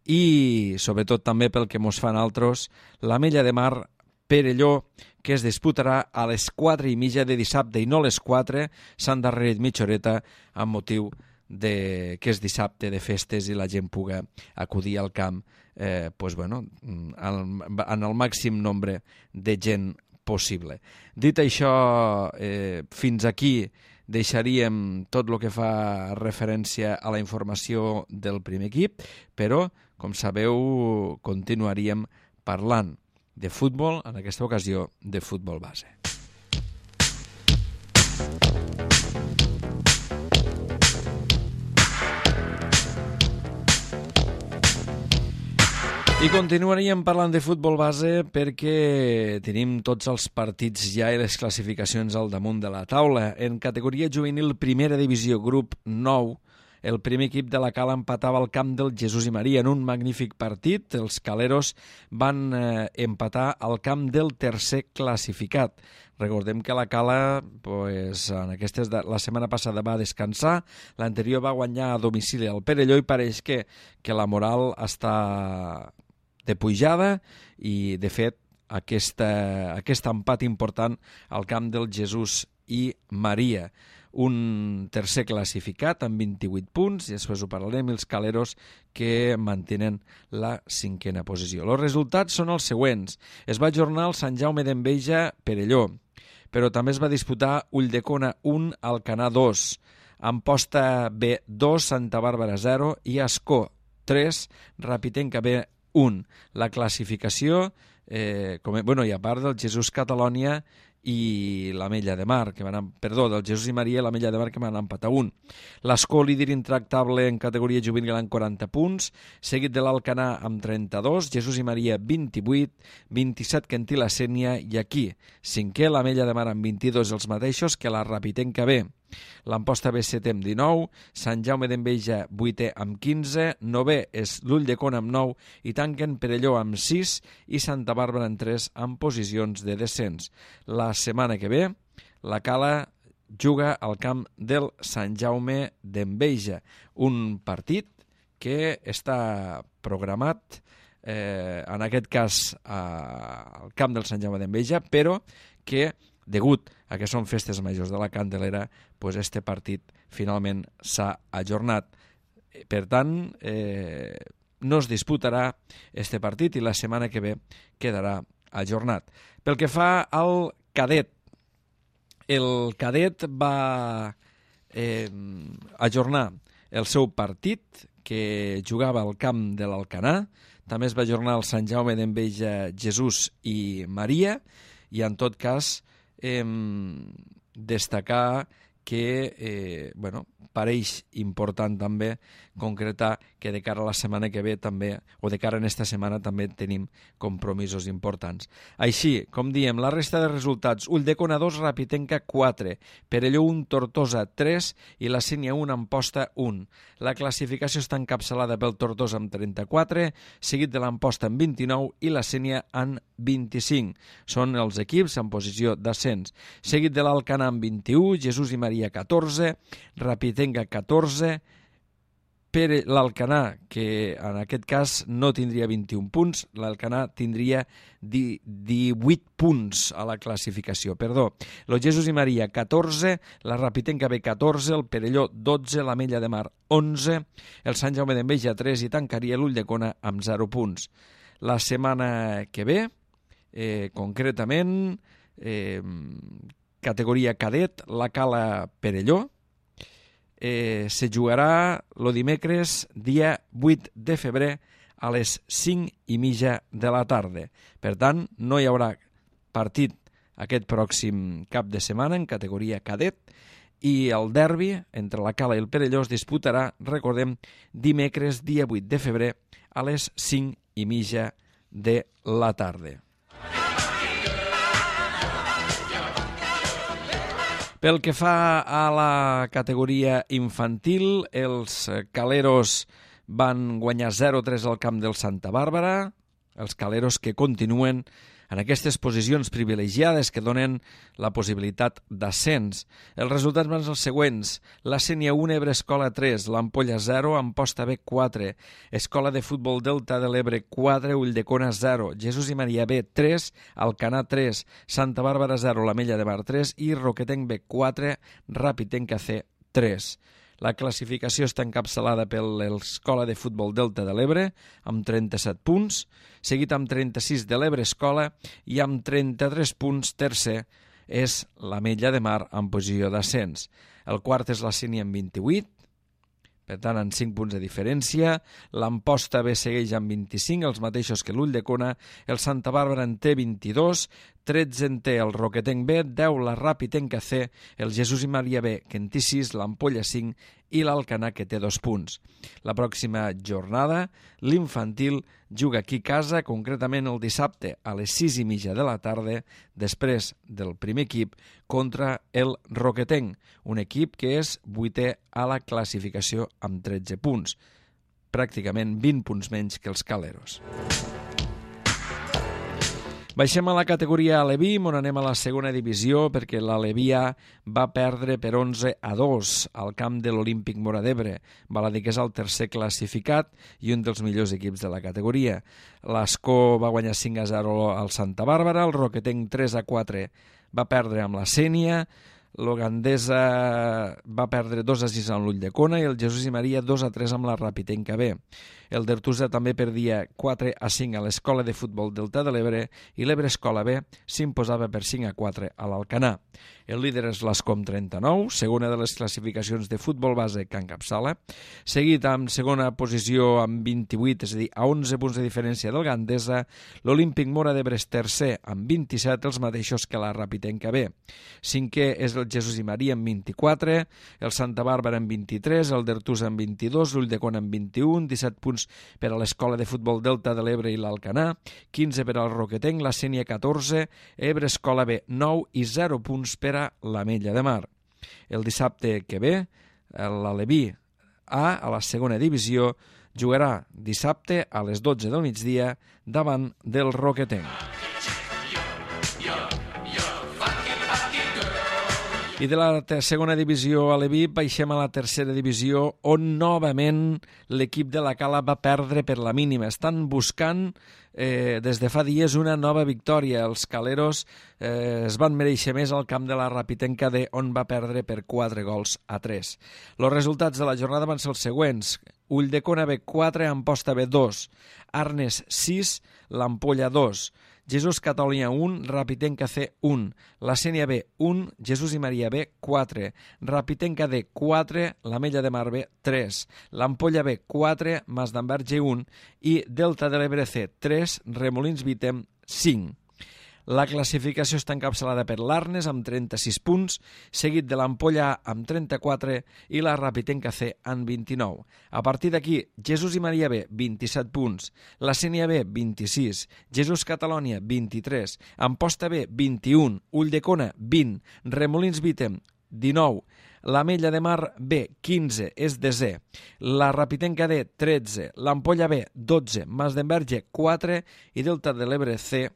i sobretot també pel que mos fan altres, l'Ametlla de Mar, Perelló, que es disputarà a les 4:30 de dissabte i no a les 4, s'han darrerit mitja horeta amb motiu que és dissabte de festes i la gent puga acudir al camp en el màxim nombre de gent possible. Dit això, fins aquí deixaríem tot el que fa referència a la informació del primer equip, però, com sabeu, continuaríem parlant de futbol, en aquesta ocasió de futbol base. I continuaríem parlant de futbol base perquè tenim tots els partits ja i les classificacions al damunt de la taula. En categoria juvenil primera divisió, grup 9, el primer equip de la Cala empatava al camp del Jesús i Maria en un magnífic partit. Els caleros van empatar al camp del tercer classificat. Recordem que la Cala la setmana passada va descansar, l'anterior va guanyar a domicili al Perelló i pareix que la moral està de pujada i, de fet, aquest empat important al camp del Jesús i Maria. Un tercer classificat amb 28 punts, i després ho parlarem, els caleros que mantenen la 5a posició. Els resultats són els següents. Es va ajornar el Sant Jaume d'Enveja Perelló, però també es va disputar Ulldecona 1, Alcanar 2, Amposta B 2, Santa Bàrbara 0 i Ascó 3, Rapitenca B 1. La classificació, i a part del Jesús Catalònia i l'Ametlla de Mar, del Jesús i Maria i l'Ametlla de Mar, que van empatar 1. L'Ascó, líder intractable en categoria juvenil, amb 40 punts, seguit de l'Alcanar amb 32, Jesús i Maria 28, 27 Quintí la Sénia, i aquí, 5è, l'Ametlla de Mar amb 22, els mateixos que la Rapitenca B. L'Amposta B 7 amb 19, Sant Jaume d'Enveja 8è amb 15, 9è és l'Ulldecona amb 9 i tanquen Perelló amb 6 i Santa Bàrbara amb 3 en posicions de descens. La setmana que ve la Cala juga al camp del Sant Jaume d'Enveja, un partit que està programat en aquest cas al camp del Sant Jaume d'Enveja, però que degut a que són festes majors de la Candelera, este partit finalment s'ha ajornat. Per tant, no es disputarà este partit i la setmana que ve quedarà ajornat. Pel que fa al cadet, el cadet va ajornar el seu partit, que jugava al camp de l'Alcanar, també es va ajornar el Sant Jaume d'Enveja Jesús i Maria, i en tot cas destacar que pareix important també concretar que de cara a la setmana que ve també, o de cara a aquesta setmana també tenim compromisos importants. Així, com diem, la resta de resultats: Ulldecona 2, Rapitenca 4, Perelló 1, Tortosa 3 i la Sénia 1, Amposta 1. La classificació està encapçalada pel Tortosa amb 34, seguit de l'Amposta amb 29 i la Sénia amb 25. Són els equips en posició d'ascens. Seguit de l'Alcanar amb 21, Jesús i Maria 14, Rapitenca 14, l'Alcanar, que en aquest cas no tindria 21 punts, l'Alcanar tindria 18 punts a la classificació. Perdó, el Jesús i Maria 14, la Rapitenca B 14, el Perelló 12, l'Ametlla de Mar 11, el Sant Jaume d'Enveja 3 i tancaria l'Ulldecona amb 0 punts. La setmana que ve, concretament, categoria cadet, la Cala Perelló, se jugarà el dimecres dia 8 de febrer a les 5:30 de la tarda. Per tant, no hi haurà partit aquest pròxim cap de setmana en categoria cadet i el derbi entre la Cala i el Perelló es disputarà, recordem, dimecres dia 8 de febrer a les 5:30 de la tarda. Pel que fa a la categoria infantil, els caleros van guanyar 0-3 al camp del Santa Bàrbara, els caleros que continuen en aquestes posicions privilegiades que donen la possibilitat d'ascens. Els resultats van ser els següents: la Sénia 1, Ebre Escola 3, l'Ampolla 0, Amposta B 4, Escola de Futbol Delta de l'Ebre 4, Ulldecona 0, Jesús i Maria B 3, Alcanar 3, Santa Bàrbara 0, l'Ametlla de Mar 3 i Roquetenc B 4, Rapitenca C 3. La classificació està encapçalada per l'Escola de Futbol Delta de l'Ebre, amb 37 punts, seguit amb 36 de l'Ebre Escola i amb 33 punts tercer és l'Ametlla de Mar en posició d'ascens. El quart és la Sénia amb 28, per tant, en 5 punts de diferència. L'Amposta B segueix amb 25, els mateixos que l'Ulldecona. El Santa Bàrbara en té 22, 13 en té el Roquetenc B, 10 la Rapitenca C, el Jesús i Maria B, que en té 6, l'Ampolla 5 i l'Alcanar, que té 2 punts. La pròxima jornada, l'infantil juga aquí a casa, concretament el dissabte a les 6:30 de la tarda, després del primer equip, contra el Roquetenc, un equip que és 8è a la classificació amb 13 punts, pràcticament 20 punts menys que els caleros. Baixem a la categoria Aleví, on anem a la segona divisió, perquè l'Aleví A va perdre per 11-2 al camp de l'Olímpic Móra d'Ebre. Val a dir que és el tercer classificat i un dels millors equips de la categoria. L'Escó va guanyar 5-0 al Santa Bàrbara, el Roquetenc 3-4 va perdre amb la Sénia, l'Ogandesa va perdre 2-6 amb l'Ulldecona i el Jesús i Maria 2-3 amb la Rapitenca B. El Dertusa també perdia 4-5 a l'Escola de Futbol Delta de l'Ebre i l'Ebre Escola B s'imposava per 5-4 a l'Alcanar. El líder és l'Escó amb 39, segona de les classificacions de futbol base que encapçala, seguit amb segona posició amb 28, és a dir, a 11 punts de diferència del Gandesa, l'Olímpic Móra d'Ebre és tercer amb 27, els mateixos que la Rapitenca B. Cinquè és el Jesús i Maria amb 24, el Santa Bàrbara amb 23, el Dertusa amb 22, l'Ulldecona amb 21, 17 punts per a l'Escola de Futbol Delta de l'Ebre i l'Alcanar, 15 per al Roquetenc, la Sénia 14, Ebre Escola B 9 i 0 punts per a l'Ametlla de Mar. El dissabte que ve, l'Aleví A, a la segona divisió, jugarà dissabte a les 12 del migdia davant del Roquetenc. I de la segona divisió Aleví baixem a la tercera divisió, on novament l'equip de la Cala va perdre per la mínima. Estan buscant des de fa dies una nova victòria. Els caleros es van mereixer més al camp de la Rapitenca D, on va perdre per 4-3. Els resultats de la jornada van ser els següents: Ulldecona B 4, Amposta B 2, Arnes 6, l'Ampolla 2, Jesús Catòlia 1, Rapitenca C 1, la Sénia B 1, Jesús i Maria B 4, Rapitenca D 4, l'Ametlla de Mar B 3, l'Ampolla B 4, Mas d'Enverge 1 i Delta de l'Ebre C 3, Remolins Vitem 5. La classificació està encapçalada per l'Arnes amb 36 punts, seguit de l'Ampolla amb 34 i la Rapitenca C amb 29. A partir d'aquí, Jesús i Maria B, 27 punts, la Sénia B, 26, Jesús Catalònia, 23, Amposta B, 21, Ulldecona, 20, Remolins Vítem, 19, l'Ametlla de Mar B, 15, és desè, la Rapitenca D, 13, l'Ampolla B, 12, Mas d'Enverge, 4 i Delta de l'Ebre C,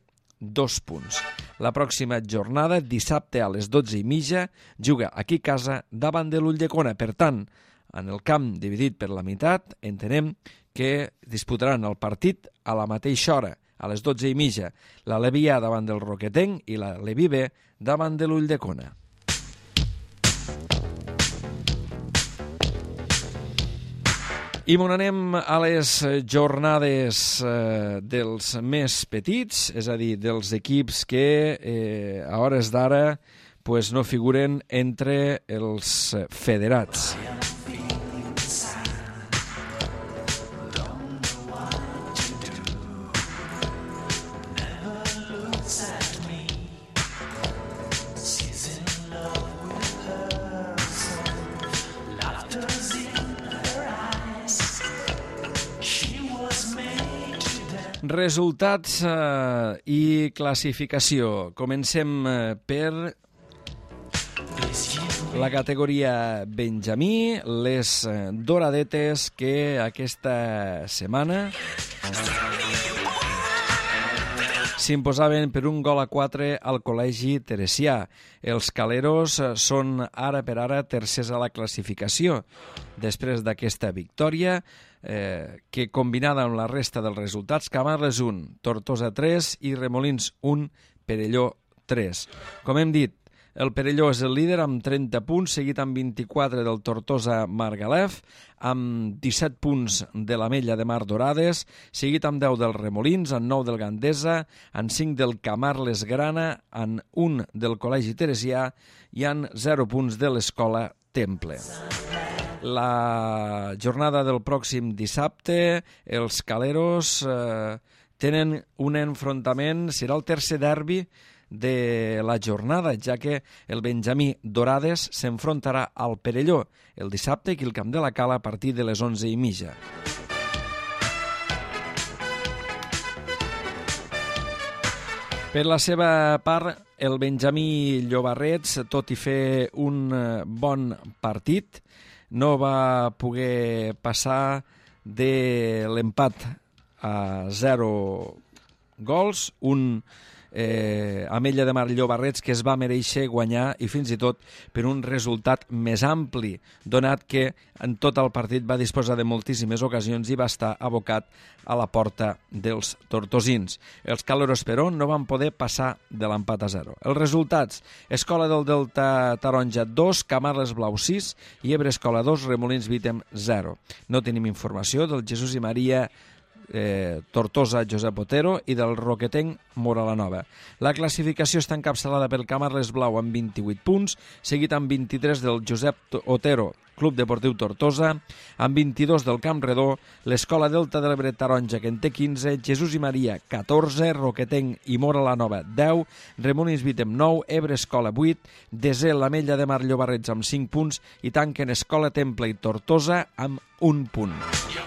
2 punts. La pròxima jornada, dissabte a les 12:30, juga aquí a casa davant de l'Ulldecona. Per tant, en el camp dividit per la meitat, entenem que disputaran el partit a la mateixa hora, a les 12:30, la Levi A davant del Roquetenc i la Levi B davant de l'Ulldecona. I m'on anem a les jornades dels més petits, és a dir, dels equips que a hores d'ara no figuren entre els federats. Resultats i classificació. Comencem per la categoria Benjamí, les Doradetes que aquesta setmana s'imposaven per 1-4 al Col·legi Teresià. Els Caleros són ara per ara tercers a la classificació. Després d'aquesta victòria, que combinada amb la resta dels resultats, Camarles 1, Tortosa 3 i Remolins 1, Perelló 3. Com hem dit, el Perelló és el líder amb 30 punts, seguit amb 24 del Tortosa Margalef, amb 17 punts de l'Ametlla de Mar Dorades, seguit amb 10 del Remolins, amb 9 del Gandesa, amb 5 del Camarles Grana, amb 1 del Col·legi Teresià i amb 0 punts de l'Escola Temple. La jornada del pròxim dissabte, els Caleros tenen un enfrontament, serà el tercer derbi de la jornada, ja que el Benjamí Dorades s'enfrontarà al Perelló el dissabte aquí al Camp de la Cala a partir de les 11:30. Per la seva part, el Benjamí Llobarrets, tot i fer un bon partit, no va poder passar de l'empat a 0 gols, un Ametlla de Mar Llobarrets que es va mereixer guanyar i fins i tot per un resultat més ampli, donat que en tot el partit va disposar de moltíssimes ocasions i va estar abocat a la porta dels tortosins. Els Caleros, però, no van poder passar de l'empat a 0. Els resultats: Escola del Delta Taronja 2, Camarles Blau 6 i Ebre Escola 2, Remolins Vítem 0. No tenim informació del Jesús i Maria Tortosa Josep Otero i del Roquetenc Mora la Nova. La classificació està encapçalada pel Camarles Blau amb 28 punts, seguit amb 23 del Josep Otero Club Deportiu Tortosa, amb 22 del Camp Redó, l'Escola Delta de l'Ebre Taronja, que en té 15, Jesús i Maria 14, Roquetenc i Mora la Nova 10, Remolins Vítem 9, Ebre Escola 8, desè l'Ametlla de Mar Llobarrets amb 5 punts i tanquen Escola Temple i Tortosa amb 1 punt.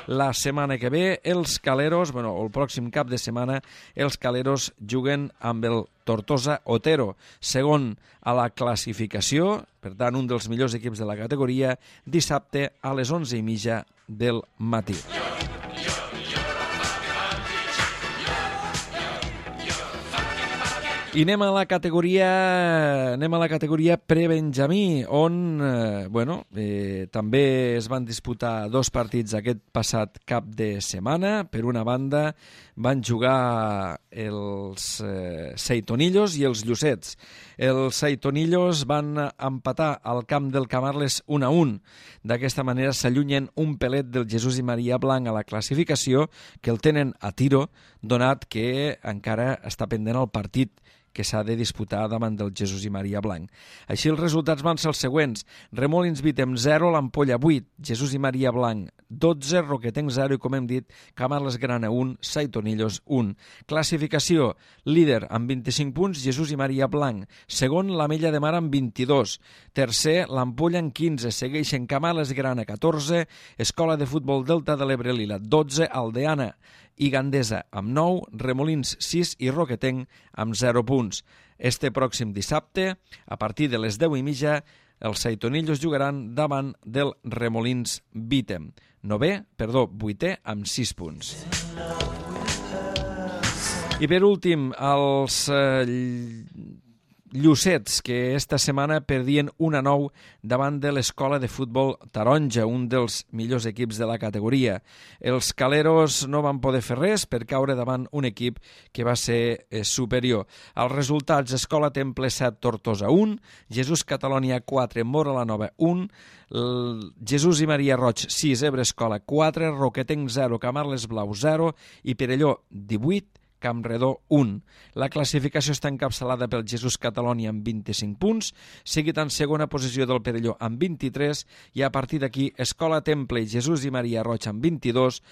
La setmana que ve, els Caleros, el pròxim cap de setmana, els Caleros juguen amb el Tortosa Otero, segon a la classificació, per tant, un dels millors equips de la categoria, dissabte a les 11:30 del matí. I anem a la categoria prebenjamí, on també es van disputar 2 partits aquest passat cap de setmana. Per una banda, van jugar els Seitonillos i els Llucets. Els Seitonillos van empatar al camp del Camarles 1-1. D'aquesta manera s'allunyen un pelet del Jesús i Maria Blanc a la classificació, que el tenen a tiro, donat que encara està pendent el partit que s'ha de disputar davant del Jesús i Maria Blanc. Així els resultats van ser els següents: Remolins Vítem 0, l'Ampolla 8, Jesús i Maria Blanc 12, Roquetenc 0 i, com hem dit, Camarles Grana 1, Saitonillos 1. Classificació: líder amb 25 punts, Jesús i Maria Blanc. Segon, l'Ametlla de Mar amb 22. Tercer, l'Ampolla amb 15. Segueixen Camarles Grana 14, Escola de Futbol Delta de l'Ebre Lila 12, Aldeana i Gandesa amb 9, Remolins 6 i Roquetenc amb 0 punts. Este pròxim dissabte, a partir de les 10:30, els Saitonillos jugaran davant del Remolins 8è amb 6 punts. I per últim, els Llucets, que esta setmana perdien 1-9 davant de l'Escola de Futbol Taronja, un dels millors equips de la categoria. Els caleros no van poder fer res per caure davant un equip que va ser superior. Els resultats: Escola Temple 7, Tortosa 1, Jesús Catalònia 4, Mora la Nova 1, Jesús i Maria Roig 6, Ebre Escola 4, Roquetenc 0, Camarles Blau 0 i Perelló 18, Campredó 1. La classificació està encapçalada pel Jesús Catalònia amb 25 punts, seguit en segona posició del Perelló amb 23 i a partir d'aquí Escola Temple i Jesús i Maria Roig amb 22,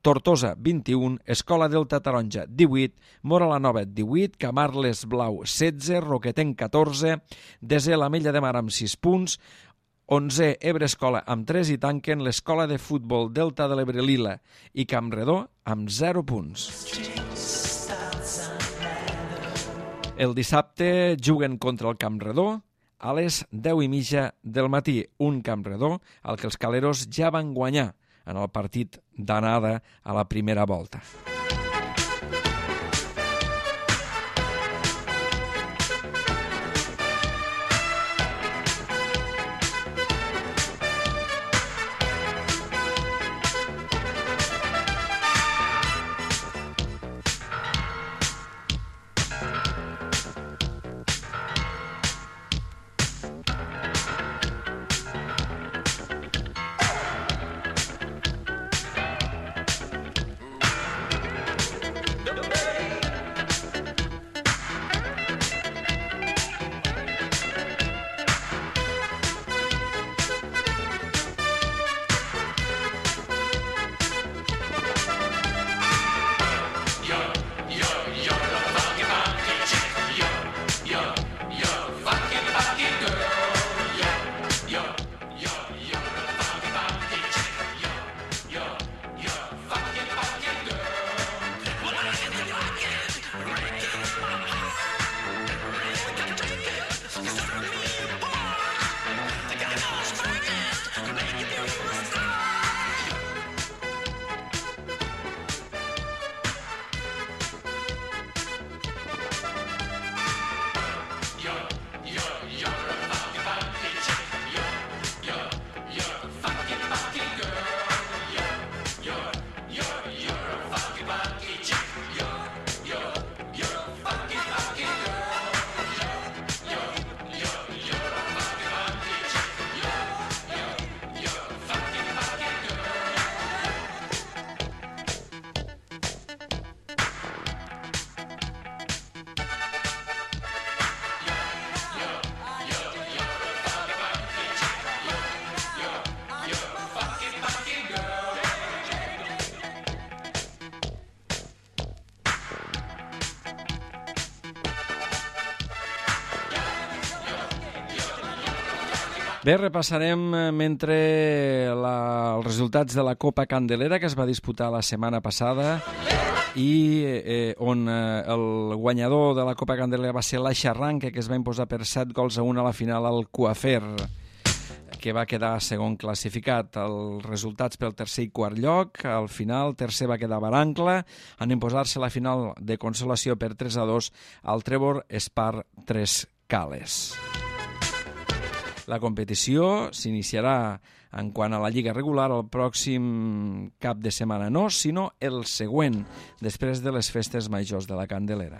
Tortosa 21, Escola Delta Taronja 18, Mora la Nova 18, Camarles Blau 16, Roquetenc 14, desè l'Ametlla de Mar amb 6 punts, 11è Ebre Escola amb 3 i tanquen l'Escola de Futbol Delta de l'Ebre Lila i Campredó amb 0 punts. El dissabte juguen contra el Campredó a les 10:30 del matí, un Campredó al que els caleros ja van guanyar en el partit d'anada a la primera volta. Bé, repassarem mentre els resultats de la Copa Candelera que es va disputar la setmana passada i on el guanyador de la Copa Candelera va ser l'Aixarranca, que es va imposar per 7-1 a la final al Coafer, que va quedar segon classificat. Els resultats pel tercer i quart lloc: al final, tercer va quedar Barancla, en imposar-se la final de consolació per 3-2 al Trevor Espar 3 Cales. La competició s'iniciarà en quant a la lliga regular el pròxim cap de setmana, no, sinó el següent, després de les festes majors de la Candelera.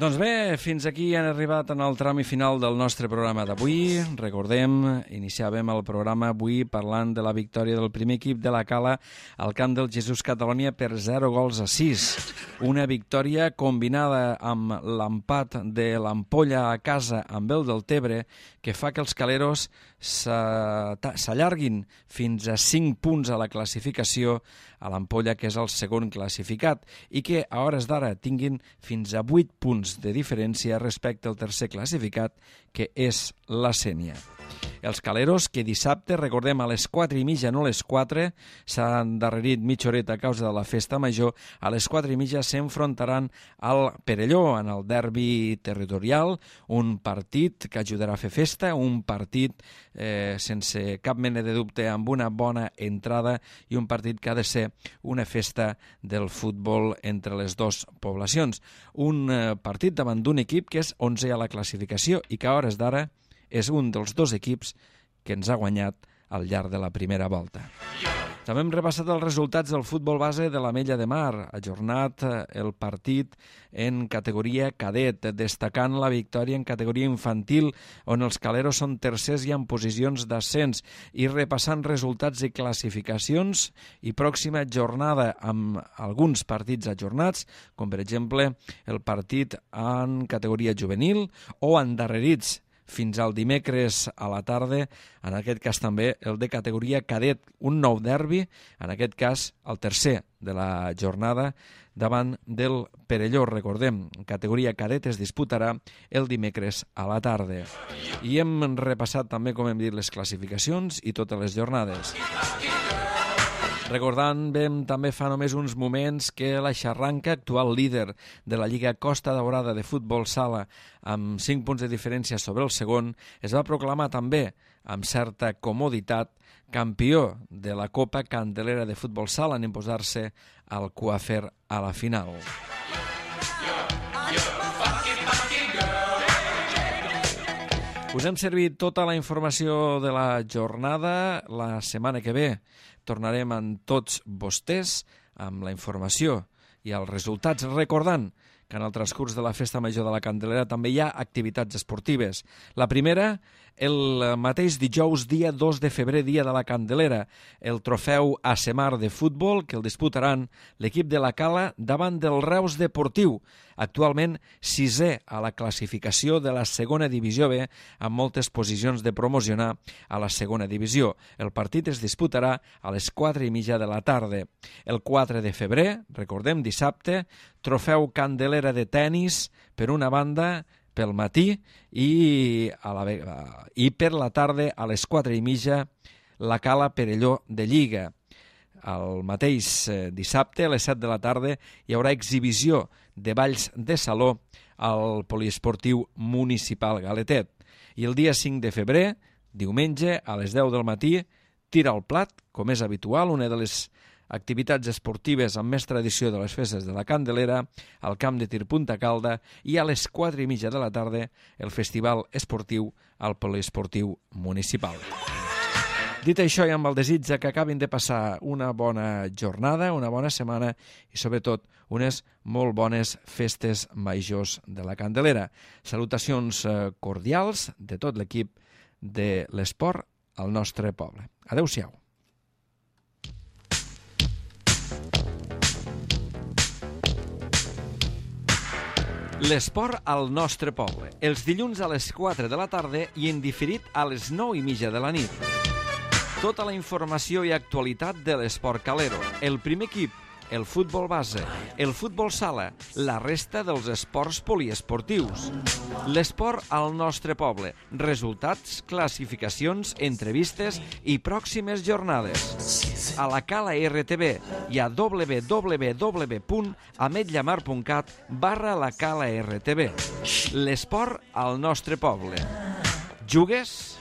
Doncs bé, fins aquí han arribat en el tram final del nostre programa d'avui. Recordem, iniciàvem el programa avui parlant de la victòria del primer equip de la Cala al camp del Jesús Catalònia per 0-6. Una victòria combinada amb l'empat de l'Ampolla a casa amb el del Tebre que fa que els caleros s'allarguin fins a 5 punts a la classificació a l'Ampolla, que és el segon classificat, i que a hores d'ara tinguin fins a 8 punts de diferència respecte al tercer classificat, que és la Sénia. Els caleros, que dissabte, recordem, a les 4:30, no a les 4, s'han endarrerit mitja horeta a causa de la festa major, a les 4:30 s'enfrontaran al Perelló, en el derbi territorial, un partit que ajudarà a fer festa, un partit sense cap mena de dubte, amb una bona entrada, i un partit que ha de ser una festa del futbol entre les dues poblacions. Un partit davant d'un equip que és 11è a la classificació i que a hores d'ara és un dels dos equips que ens ha guanyat al llarg de la primera volta. També hem repassat els resultats del futbol base de l'Ametlla de Mar, ajornat el partit en categoria cadet, destacant la victòria en categoria infantil, on els caleros són tercers i en posicions d'ascens, i repassant resultats i classificacions i pròxima jornada amb alguns partits ajornats, com per exemple el partit en categoria juvenil o endarrerits fins al dimecres a la tarda, en aquest cas també el de categoria cadet, un nou derbi, en aquest cas el tercer de la jornada davant del Perelló. Recordem, categoria cadet es disputarà el dimecres a la tarda. I hem repassat també, com hem dit, les classificacions i totes les jornades. Recordant, vam també fa només uns moments que la Xarranca, actual líder de la Lliga Costa Daurada de futbol sala, amb 5 punts de diferència sobre el segon, es va proclamar també, amb certa comoditat, campió de la Copa Candelera de futbol sala en imposar-se al Coafer a la final. Us hem servit tota la informació de la jornada. La setmana que ve tornarem amb tots vostès amb la informació i els resultats, recordant que en el transcurs de la Festa Major de la Candelera també hi ha activitats esportives. La primera, el mateix dijous, dia 2 de febrer, dia de la Candelera, el trofeu Asemar de futbol, que el disputaran l'equip de la Cala davant del Reus Deportiu, actualment 6è a la classificació de la segona divisió B, amb moltes posicions de promocionar a la segona divisió. El partit es disputarà a les 4:30 de la tarda. El 4 de febrer, recordem, dissabte, trofeu Candelera de tennis, per una banda, pel matí, i per la tarda, a les 4:30, la Cala Perelló de Lliga. El mateix dissabte, a les 7 de la tarda, hi haurà exhibició de balls de saló al poliesportiu municipal Galetet. I el dia 5 de febrer, diumenge, a les 10 del matí, tira al plat, com és habitual, una de les activitats esportives amb més tradició de les festes de la Candelera, al camp de tir Punta Calda, i a les 4:30 de la tarda el festival esportiu al poliesportiu municipal. Dit això, i amb el desig que acabin de passar una bona jornada, una bona setmana i, sobretot, unes molt bones festes majors de la Candelera. Salutacions cordials de tot l'equip de l'esport al nostre poble. Adéu-siau. L'esport al nostre poble, els dilluns a les 4 de la tarda i en diferit a les 9:30 de la nit. Tota la informació i actualitat de l'esport calero, el primer equip, el futbol base, el futbol sala, la resta dels esports poliesportius. L'esport al nostre poble, resultats, classificacions, entrevistes i pròximes jornades. A la Cala RTV i a www.ametllamar.cat/la Cala RTV. L'esport al nostre poble. Jugues?